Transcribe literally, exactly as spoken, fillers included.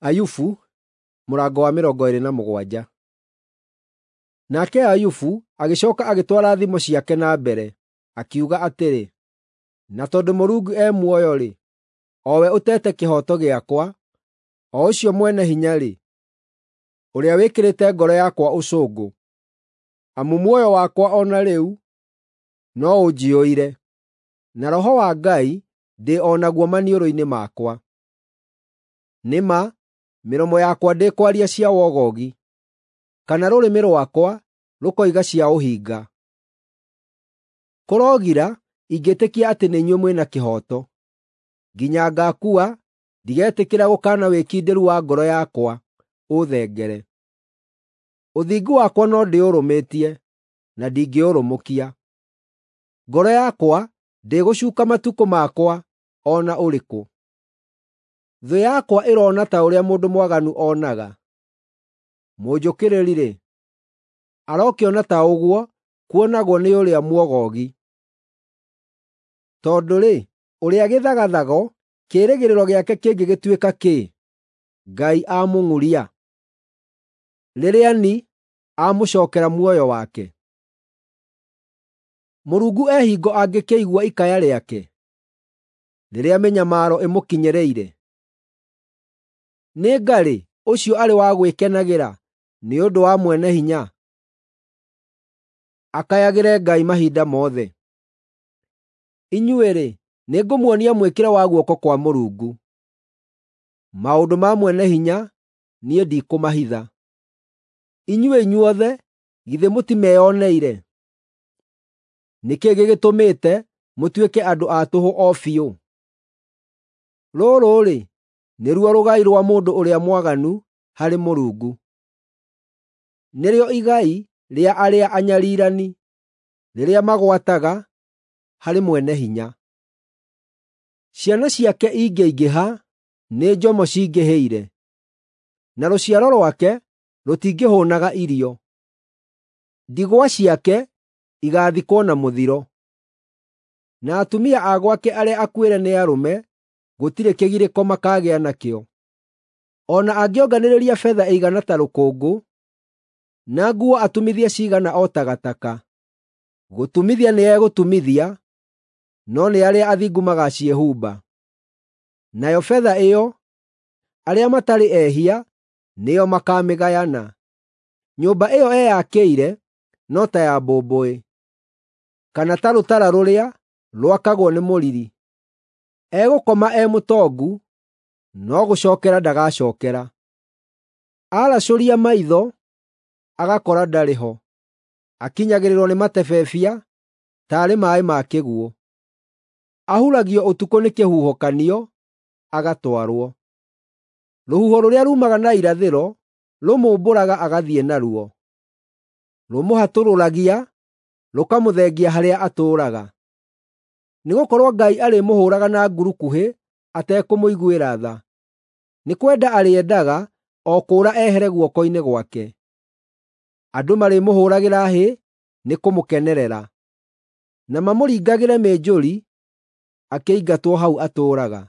Ayubu mũrango wa mĩrongo ĩĩrĩ na mũgwanja. Nake Ayubu agĩcooka agĩtwara thimo ciake na mbere, akiuga atĩrĩ, “Na tondũ Mũrungu e muoyo-rĩ, o we ũteete kĩhooto gĩakwa, o ũcio Mwene-Hinya-rĩ, ũrĩa wĩkĩrĩte ngoro yakwa ũcũngũ, amu muoyo wakwa o na rĩu no ũnjiyũire, na Roho wa Ngai ndĩ o naguo maniũrũ-inĩ makwa. Nĩ ma, mĩromo yakwa ndĩkwaria cia wogogi, kana rũrĩmĩ rwakwa rũkoiga cia ũhinga. Kũrogira ingĩtĩkia atĩ nĩ inyuĩ mwĩ na kĩhooto! Nginya ngaakua ndigetĩkĩra gũkaana wĩkindĩru wa ngoro yakwa ũũthengere. Ũthingu wakwa no ndĩũrũmĩtie, na ndingĩũrũmũkia. Ngoro yakwa ndĩgũcuuka matukũ makwa o na ũrĩkũ. Thũ yakwa ĩroona ta ũrĩa mũndũ mwaganu onaga; mũnjũkĩrĩri-rĩ, arokĩona ta ũguo kuonagwo nĩ ũrĩa mwogogi. Tondũ-rĩ, ũrĩa gĩthagathago kĩĩrĩgĩrĩro gĩake kĩngĩgĩtuĩka kĩĩ, Ngai amũng'uria, rĩrĩa ni amũcookera muoyo wake? Mũrungu e hingo angĩkĩigua ikaya rĩake, rĩrĩa mĩnyamaro ĩmũkinyĩrĩire? Nĩ nga-rĩ ũcio arĩ wa gwĩkenagĩra nĩ ũndũ wa Mwene-Hinya, akayagĩre Ngai mahinda mothe? Inyuĩ-rĩ, nĩngũmuonia mwĩkĩre wa guoko kwa Mũrungu. Maũndũ ma Mwene-Hinya niĩ ndikũmahitha. Inyuĩ inyuothe githĩ mũtimeyoneire? Nĩ kĩĩ gĩgĩtũmĩte mũtuĩke andũ a tũhũ o biũ? Rũrũ-rĩ, nĩruo rũgai rwa mũndũ ũrĩa mwaganu harĩ Mũrungu, nĩrĩo igai rĩa arĩa anyariirani, rĩrĩa magwataga harĩ Mwene-Hinya. Ciana ciake ingĩaingĩha, nĩ njomo cingĩhĩire, na rũciaro rwake rũtingĩhũũnaga irio. Ndigwa ciake igaathikwo na mũthiro, na atumia a gwake arĩa akuĩre nĩ arũme gũtirĩ kĩgirĩko makaagĩa nakĩo. O na angĩonganĩrĩria betha ĩigana ta rũkũngũ, na nguo atumithie ciigana o ta gataka, gũtumithia nĩegũtumithia, no nĩ arĩa athingu magaciĩhumba. Nayo betha ĩyo, arĩa matarĩ ehia nĩo makaamĩgayana. Nyũmba ĩyo eyakĩire no ta ya mbũmbũĩ, kana ta rũtara rũrĩa rwakagwo nĩ mũriri. Egũkoma e mũtongu, no gũcookera ndagacookera; aracũria maitho, agakora ndarĩ ho. Akinyagĩrĩrwo nĩ matebebia taarĩ maaĩ ma kĩguũ; ahuragio ũtukũ nĩ kĩhuhũkanio, agatwarwo. Rũhuho rũrĩa ruumaga na irathĩro rũmũmbũraga agathiĩ naruo; rũmũhatũrũragia rũkamũthengia harĩa atũũraga. Nĩgũkorwo Ngai arĩmũhũũraga na ngurukuhĩ atekũmũiguĩra tha; nĩ kwenda arĩendaga o kũũra ehere guoko-inĩ gwake. Andũ marĩmũhũũragĩra hĩ nĩ kũmũkenerera, na mamũringagĩre mĩnjũri akĩingatwo hau atũũraga.